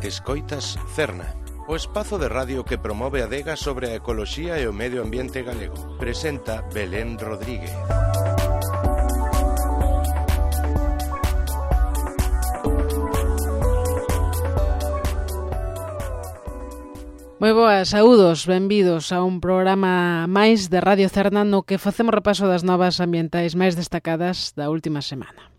Escoitas Cerna, o espazo de radio que promove a adega sobre a ecoloxía e o medio ambiente galego. Presenta Belén Rodríguez. Moi boas, saúdos, benvidos a un programa máis de Radio Cerna no que facemos repaso das novas ambientais máis destacadas da última semana.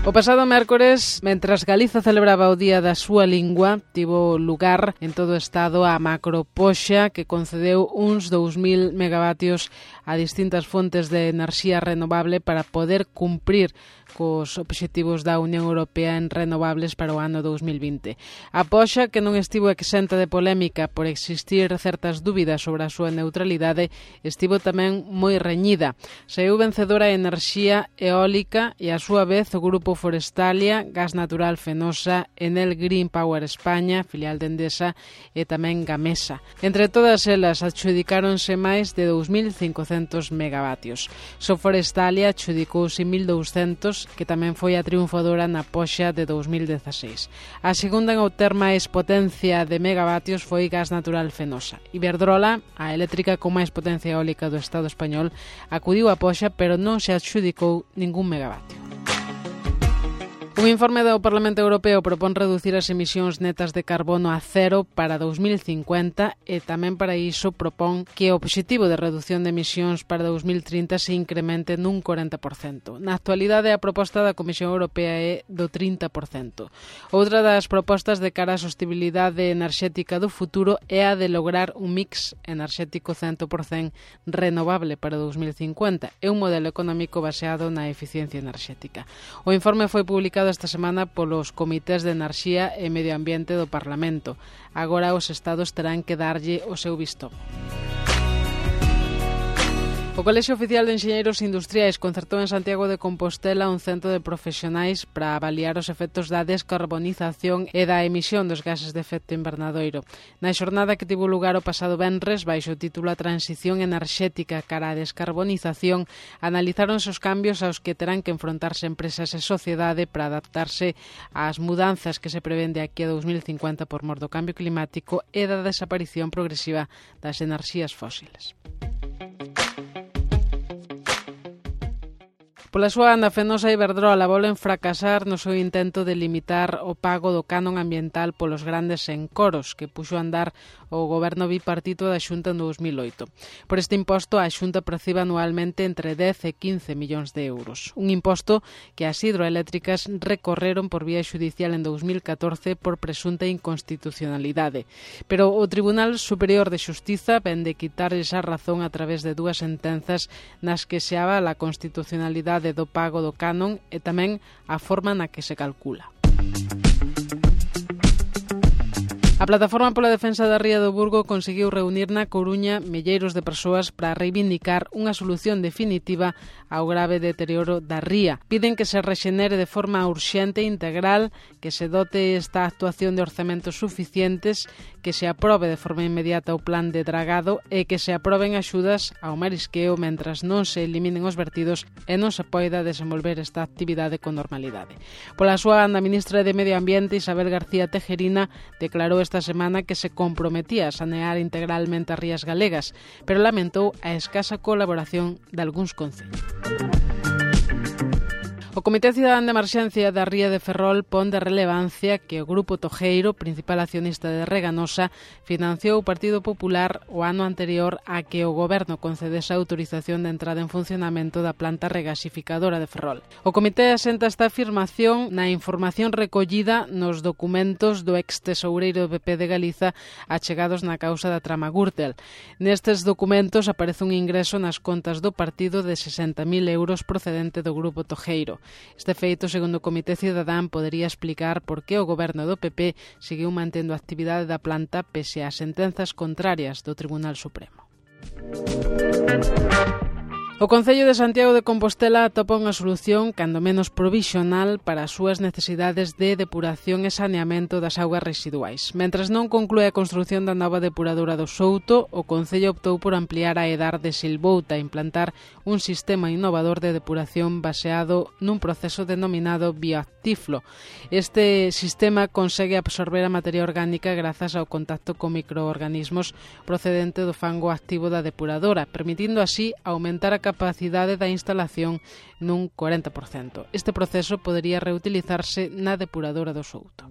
O pasado mércores, mentras Galiza celebraba o Día da súa lingua, tivo lugar en todo o Estado a macropoxa que concedeu uns 2.000 megavatios a distintas fontes de enerxía renovable para poder cumprir cos obxectivos da Unión Europea en renovables para o ano 2020. A poxa, que non estivo exenta de polémica por existir certas dúbidas sobre a súa neutralidade, estivo tamén moi reñida. Saiu vencedora a enerxía eólica e, a súa vez, o Grupo Forestalia, Gas Natural Fenosa, Enel Green Power España, filial de Endesa, e tamén Gamesa. Entre todas elas, adxudicáronse máis de 2.500 megavatios. So Forestalia adxudicouse 1.200, que tamén foi a triunfadora na poxa de 2016. A segunda en obter máis potencia de megavatios foi Gas Natural Fenosa. Iberdrola, a eléctrica con máis potencia eólica do Estado español, acudiu a poxa, pero non se adxudicou ningún megavatio. Un informe do Parlamento Europeo propón reducir as emisións netas de carbono a cero para 2050 e tamén para iso propón que o obxectivo de reducción de emisións para 2030 se incremente nun 40%. Na actualidade, a proposta da Comisión Europea é do 30%. Outra das propostas de cara á sostibilidade enerxética do futuro é a de lograr un mix enerxético 100% renovable para 2050 e un modelo económico baseado na eficiencia enerxética. O informe foi publicado esta semana polos comités de enerxía e medio ambiente do Parlamento. Agora os estados terán que darlle o seu visto. O Colexio Oficial de Enxeñeiros Industriais concertou en Santiago de Compostela un centro de profesionais para avaliar os efectos da descarbonización e da emisión dos gases de efecto invernadoiro. Na xornada que tivo lugar o pasado venres, baixo o título A Transición Enerxética cara á Descarbonización, analizáronse os cambios aos que terán que enfrontarse empresas e sociedade para adaptarse ás mudanzas que se prevén de aquí a 2050 por mor do cambio climático e da desaparición progresiva das enerxías fósiles. Pola súa banda, Fenosa e Iberdrola volven fracasar no seu intento de limitar o pago do canon ambiental polos grandes encoros que puxo a andar o goberno bipartito da Xunta en 2008. Por este imposto, a Xunta percibe anualmente entre 10 e 15 millóns de euros. Un imposto que as hidroeléctricas recorreron por vía xudicial en 2014 por presunta inconstitucionalidade. Pero o Tribunal Superior de Xustiza ven de quitarles a razón a través de dúas sentenzas nas que se avala a constitucionalidade do pago do canon e tamén a forma na que se calcula. A Plataforma pola Defensa da Ría do Burgo conseguiu reunir na Coruña milleiros de persoas para reivindicar unha solución definitiva ao grave deterioro da ría. Piden que se rexenere de forma urxente e integral, que se dote esta actuación de orzamentos suficientes, que se aprobe de forma inmediata o plan de dragado e que se aproben axudas ao marisqueo mentras non se eliminen os vertidos e non se poida desenvolver esta actividade con normalidade. Pola súa banda, a ministra de Medio Ambiente, Isabel García Tejerina, declarou esta semana que se comprometía a sanear integralmente as rías galegas, pero lamentou a escasa colaboración de algúns concellos. O Comité Cidadán de Emerxencia da Ría de Ferrol pon de relevancia que o Grupo Tojeiro, principal accionista de Reganosa, financiou o Partido Popular o ano anterior a que o Goberno concedese a autorización de entrada en funcionamento da planta regasificadora de Ferrol. O Comité asenta esta afirmación na información recollida nos documentos do ex-tesoureiro do PP de Galiza achegados na causa da trama Gürtel. Nestes documentos aparece un ingreso nas contas do partido de 60.000 euros procedente do Grupo Tojeiro. Este feito, segundo o Comité Cidadán, podería explicar por que o goberno do PP seguiu mantendo a actividade da planta pese ás sentenzas contrarias do Tribunal Supremo. O Concello de Santiago de Compostela atopa unha solución, cando menos provisional, para as súas necesidades de depuración e saneamento das augas residuais. Mentres non conclúe a construción da nova depuradora do Souto, o Concello optou por ampliar a Edar de Silbouta e implantar un sistema innovador de depuración baseado nun proceso denominado bioactiflo. Este sistema consegue absorber a materia orgánica grazas ao contacto con microorganismos procedente do fango activo da depuradora, permitindo así aumentar a capacidade da instalación nun 40%. Este proceso podería reutilizarse na depuradora do Souto.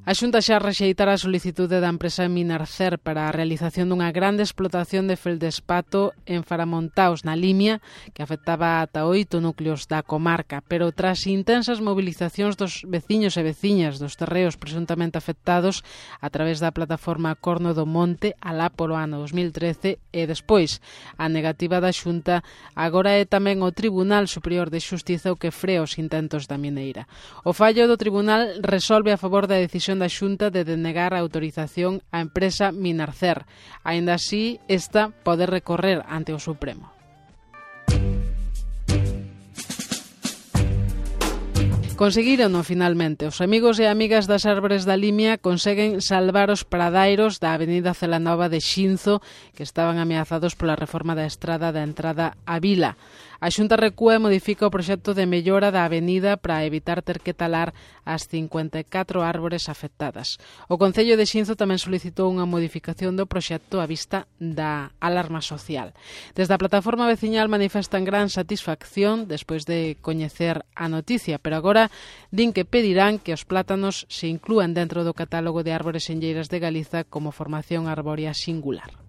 A Xunta xa rexeitara a solicitude da empresa Minarcer para a realización dunha grande explotación de feldespato en Faramontaos, na Limia, que afectaba ata 8 núcleos da comarca, pero tras intensas mobilizacións dos veciños e veciñas dos terreos presuntamente afectados a través da plataforma Corno do Monte alá polo ano 2013 e despois a negativa da Xunta, agora é tamén o Tribunal Superior de Xustiza o que frea os intentos da mineira. O fallo do Tribunal resolve a favor da decisión da Xunta de denegar a autorización á empresa Minarcer. Aínda así, esta pode recorrer ante o Supremo. Conseguírono finalmente. Os amigos e amigas das árbores da Limia conseguen salvar os pradairos da avenida Celanova de Xinzo, que estaban ameazados pola reforma da estrada da entrada á vila. A Xunta recúa e modifica o proxecto de mellora da avenida para evitar ter que talar as 54 árbores afectadas. O Concello de Xinzo tamén solicitou unha modificación do proxecto á vista da alarma social. Desde a plataforma veciñal manifestan gran satisfacción despois de coñecer a noticia, pero agora din que pedirán que os plátanos se inclúan dentro do catálogo de árbores senlleiras de Galiza como formación arbórea singular.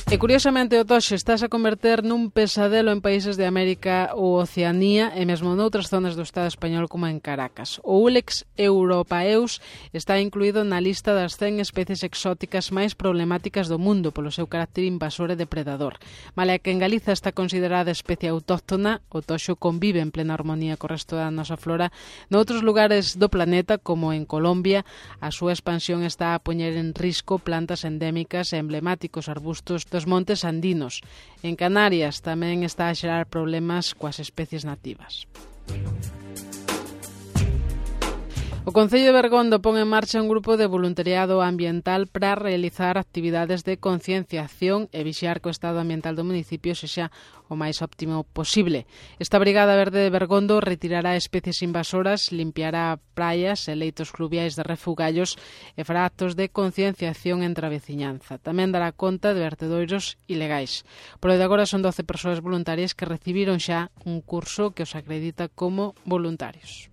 E curiosamente o toxe estás a converter nun pesadelo en países de América ou Oceanía e mesmo noutras zonas do Estado español como en Caracas. O Ulex europaeus está incluído na lista das 100 especies exóticas máis problemáticas do mundo polo seu carácter invasor e depredador. Malia que en Galiza está considerada especie autóctona, o toxo convive en plena armonía co resto da nosa flora. Noutros lugares do planeta, como en Colombia, a súa expansión está a poñer en risco plantas endémicas e emblemáticos arbustos dos montes andinos. En Canarias tamén está a xerar problemas coas especies nativas. O Concello de Bergondo pon en marcha un grupo de voluntariado ambiental para realizar actividades de concienciación e vixiar que o estado ambiental do municipio sexa o máis óptimo posible. Esta Brigada Verde de Bergondo retirará especies invasoras, limpiará praias e leitos fluviais de refugallos e fará actos de concienciación entre a veciñanza. Tamén dará conta de vertedoiros ilegais. Por de agora son 12 persoas voluntarias que recibiron xa un curso que os acredita como voluntarios.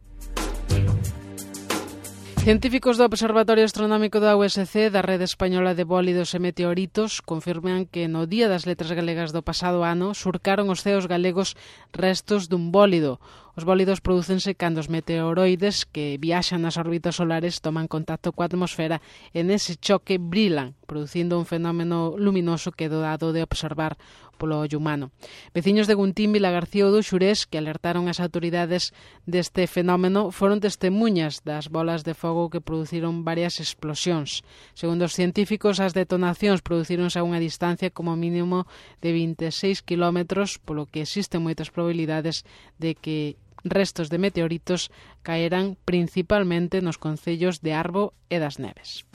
Científicos do Observatorio Astronómico da USC, da Rede Española de Bólidos e Meteoritos, confirman que no Día das Letras Galegas do pasado ano surcaron os ceos galegos restos dun bólido. Os bólidos prodúcense cando os meteoroides que viaxan nas órbitas solares toman contacto coa atmosfera e nese choque brilan, producindo un fenómeno luminoso que é dado de observar polo ollo humano. Veciños de Guntín, Vilagarcía ou do Xurés, que alertaron as autoridades deste fenómeno, foron testemunhas das bolas de fogo que produciron varias explosións. Segundo os científicos, as detonacións producíronse a unha distancia como mínimo de 26 kilómetros, polo que existen moitas probabilidades de que restos de meteoritos caerán principalmente nos concellos de Arbo e das Neves.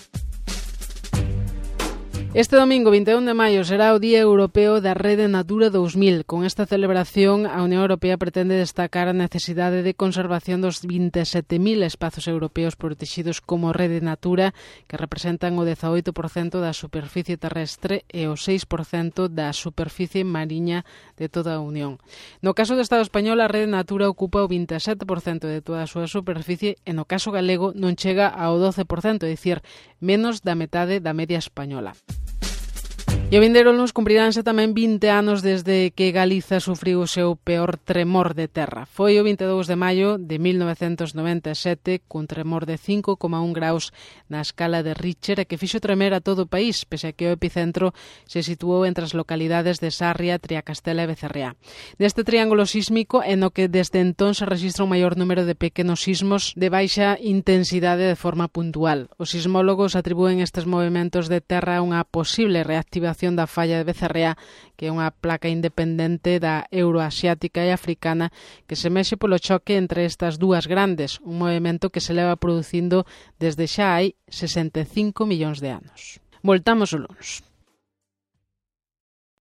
Este domingo 21 de maio será o Día Europeo da Rede Natura 2000. Con esta celebración, a Unión Europea pretende destacar a necesidade de conservación dos 27.000 espazos europeos protegidos como Rede Natura, que representan o 18% da superficie terrestre e o 6% da superficie mariña de toda a Unión. No caso do Estado español, a Rede Natura ocupa o 27% de toda a súa superficie e no caso galego non chega ao 12%, é dicir, menos da metade da media española. E o vindeiro luns cumpriránse tamén 20 anos desde que Galiza sufriu o seu peor tremor de terra. Foi o 22 de maio de 1997, cun tremor de 5,1 graus na escala de Richter, que fixo tremer a todo o país, pese a que o epicentro se situou entre as localidades de Sarria, Triacastela e Becerreá. Deste triángulo sísmico é no que desde entón se registra un maior número de pequenos sismos de baixa intensidade de forma puntual. Os sismólogos atribúen estes movimentos de terra a unha posible reactivación da falla de Becerreá, que é unha placa independente da euroasiática e africana que se mexe polo choque entre estas dúas grandes, un movimento que se leva producindo desde xa hai 65 millóns de anos. Voltamos o luns.